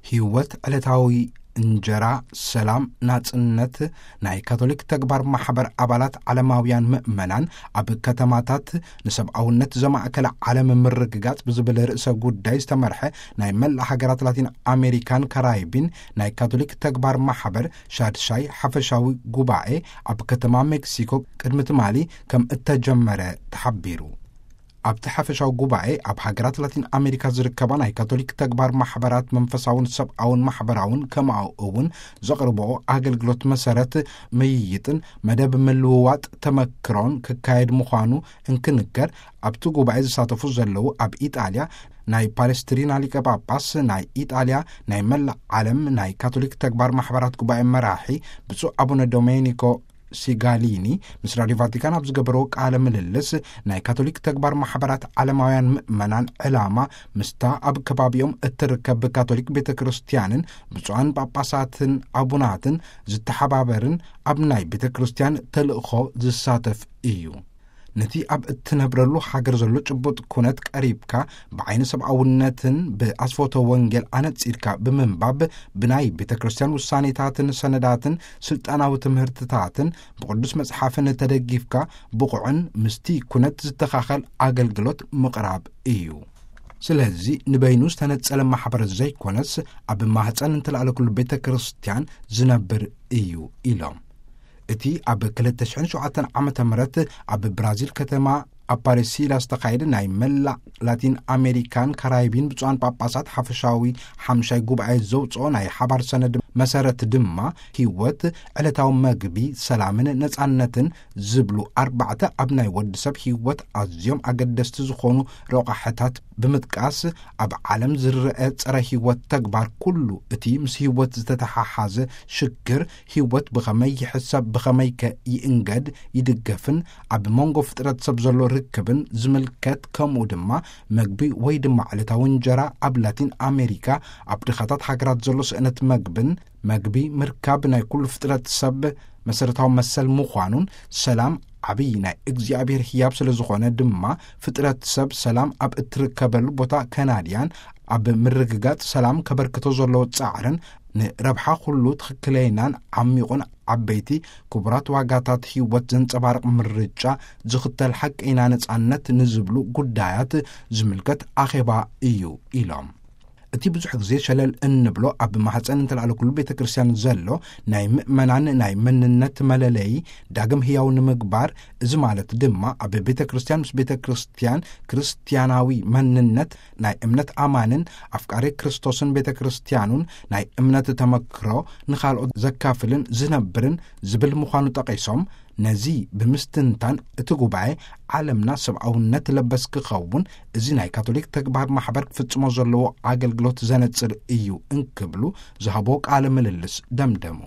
ህይወት ዕለታዊ እንጀራ፣ ሰላም፣ ናጽነት ናይ ካቶሊክ ተግባር ማሕበር ኣባላት ዓለማውያን ምእመናን ኣብ ከተማታት ንሰብኣውነት ዘማእከለ ዓለም ምርግጋጽ ብዝብል ርእሰ ጉዳይ ዝተመርሐ ናይ መላእ ሃገራት ላቲን ኣሜሪካን ካራይቢን ናይ ካቶሊክ ተግባር ማሕበር ሻድሻይ ሓፈሻዊ ጉባኤ ኣብ ከተማ ሜክሲኮ ቅድሚ ትማሊ ከም እተጀመረ ተሓቢሩ። ኣብቲ ሓፈሻዊ ጉባኤ ኣብ ሃገራት ላቲን ኣሜሪካ ዝርከባ ናይ ካቶሊክ ተግባር ማሕበራት መንፈሳውን ሰብኣውን ማሕበራውን ከምኡ እውን ዘቕርብኦ ኣገልግሎት መሰረት ምይይጥን መደብ ምልውዋጥ ተመክሮን ክካየድ ምዃኑ እንክንገር፣ ኣብቲ ጉባኤ ዝሳተፉ ዘለዉ ኣብ ኢጣልያ ናይ ፓሌስትሪና ሊቀ ጳጳስ፣ ናይ ኢጣልያ ናይ መላእ ዓለም ናይ ካቶሊክ ተግባር ማሕበራት ጉባኤ መራሒ ብፁዕ ኣቡነ ዶሜኒኮ ሲጋሊኒ ምስ ራዲዮ ቫቲካን ኣብ ዝገበርዎ ቃለ ምልልስ፣ ናይ ካቶሊክ ተግባር ማሕበራት ዓለማውያን ምእመናን ዕላማ ምስታ ኣብ ከባቢኦም እትርከብ ካቶሊክ ቤተ ክርስቲያንን ብፁዓን ጳጳሳትን ኣቡናትን ዝተሓባበርን ኣብ ናይ ቤተ ክርስቲያን ተልእኾ ዝሳተፍ እዩ። ነቲ ኣብ እትነብረሉ ሃገር ዘሎ ጭቡጥ ኩነት ቀሪብካ፣ ብዓይኒ ሰብኣውነትን ብኣስፎቶ ወንጌል ኣነጺርካ ብምንባብ፣ ብናይ ቤተ ክርስቲያን ውሳኔታትን ሰነዳትን ስልጣናዊ ትምህርትታትን ብቅዱስ መጽሓፍን ተደጊፍካ፣ ብቑዕን ምስቲ ኩነት ዝተኻኸል ኣገልግሎት ምቕራብ እዩ። ስለዚ ንበይኑ ዝተነጸለ ማሕበር ዘይኮነስ፣ ኣብ ማህፀን እንተለኣለ ኩሉ ቤተ ክርስቲያን ዝነብር እዩ ኢሎም። እቲ ኣብ ክልተ ሽሕን ሸውዓተን ዓመተ ምህረት ኣብ ብራዚል ከተማ ኣፓሬሲላ ዝተኻየደ ናይ መላእ ላቲን ኣሜሪካን ካራይቢን ብፁዓን ጳጳሳት ሓፈሻዊ ሓምሻይ ጉባኤ ዘውፅኦ ናይ ሓባር ሰነድ መሰረት ድማ፣ ህይወት፣ ዕለታዊ መግቢ፣ ሰላምን ነፃነትን ዝብሉ ኣርባዕተ ኣብ ናይ ወዲ ሰብ ህይወት ኣዝዮም ኣገደስቲ ዝኾኑ ረቋሕታት ብምጥቃስ፣ ኣብ ዓለም ዝረአ ጸረ ህይወት ተግባር ኩሉ እቲ ምስ ህይወት ዝተተሓሓዘ ሽግር፣ ህይወት ብኸመይ ይሕሰብ፣ ብኸመይ ከ ይእንገድ፣ ይድገፍን ኣብ መንጎ ፍጥረት ሰብ ዘሎ ርክብን ዝምልከት፣ ከምኡ ድማ መግቢ ወይ ድማ ዕለታዊ እንጀራ ኣብ ላቲን ኣሜሪካ ኣብ ድኻታት ሃገራት ዘሎ ስእነት መግብን፣ መግቢ ምርካብ ናይ ኩሉ ፍጥረት ሰብ መሰረታዊ መሰል ምዃኑን፣ ሰላም ዓብዪ ናይ እግዚኣብሔር ህያብ ስለ ዝኾነ ድማ፣ ፍጥረት ሰብ ሰላም ኣብ እትርከበሉ ቦታ ከናድያን ኣብ ምርግጋጽ ሰላም ከበርክቶ ዘለዎ ጻዕርን፣ ንረብሓ ኩሉ ትኽክለይናን ዓሚቑን ዓበይቲ ክቡራት ዋጋታት ህይወት ዘንጸባርቕ ምርጫ ዝኽተል ሓቀይና ነጻነት ንዝብሉ ጉዳያት ዝምልከት ኣኼባ እዩ ኢሎም። እቲ ብዙሕ ግዜ ሸለል እንብሎ ኣብ ማሕፀን እንተለኣለ ኩሉ ቤተ ክርስቲያን ዘሎ ናይ ምእመናን ናይ መንነት መለለዪ ዳግም ህያው ንምግባር፣ እዚ ማለት ድማ ኣብ ቤተ ክርስቲያን ምስ ቤተ ክርስቲያን ክርስቲያናዊ መንነት ናይ እምነት ኣማንን ኣፍቃሪ ክርስቶስን ቤተ ክርስቲያኑን ናይ እምነት ተመክሮ ንኻልኦት ዘካፍልን ዝነብርን ዝብል ምዃኑ ጠቒሶም፣ ነዚ ብምስትንታን እቲ ጉባኤ ዓለምና ሰብኣውነት ለበስ ክኸውን፣ እዚ ናይ ካቶሊክ ተግባር ማሕበር ክፍጽሞ ዘለዎ ኣገልግሎት ዘነጽር እዩ እንክብሉ ዝሃቦ ቃለ ምልልስ ደምደሙ።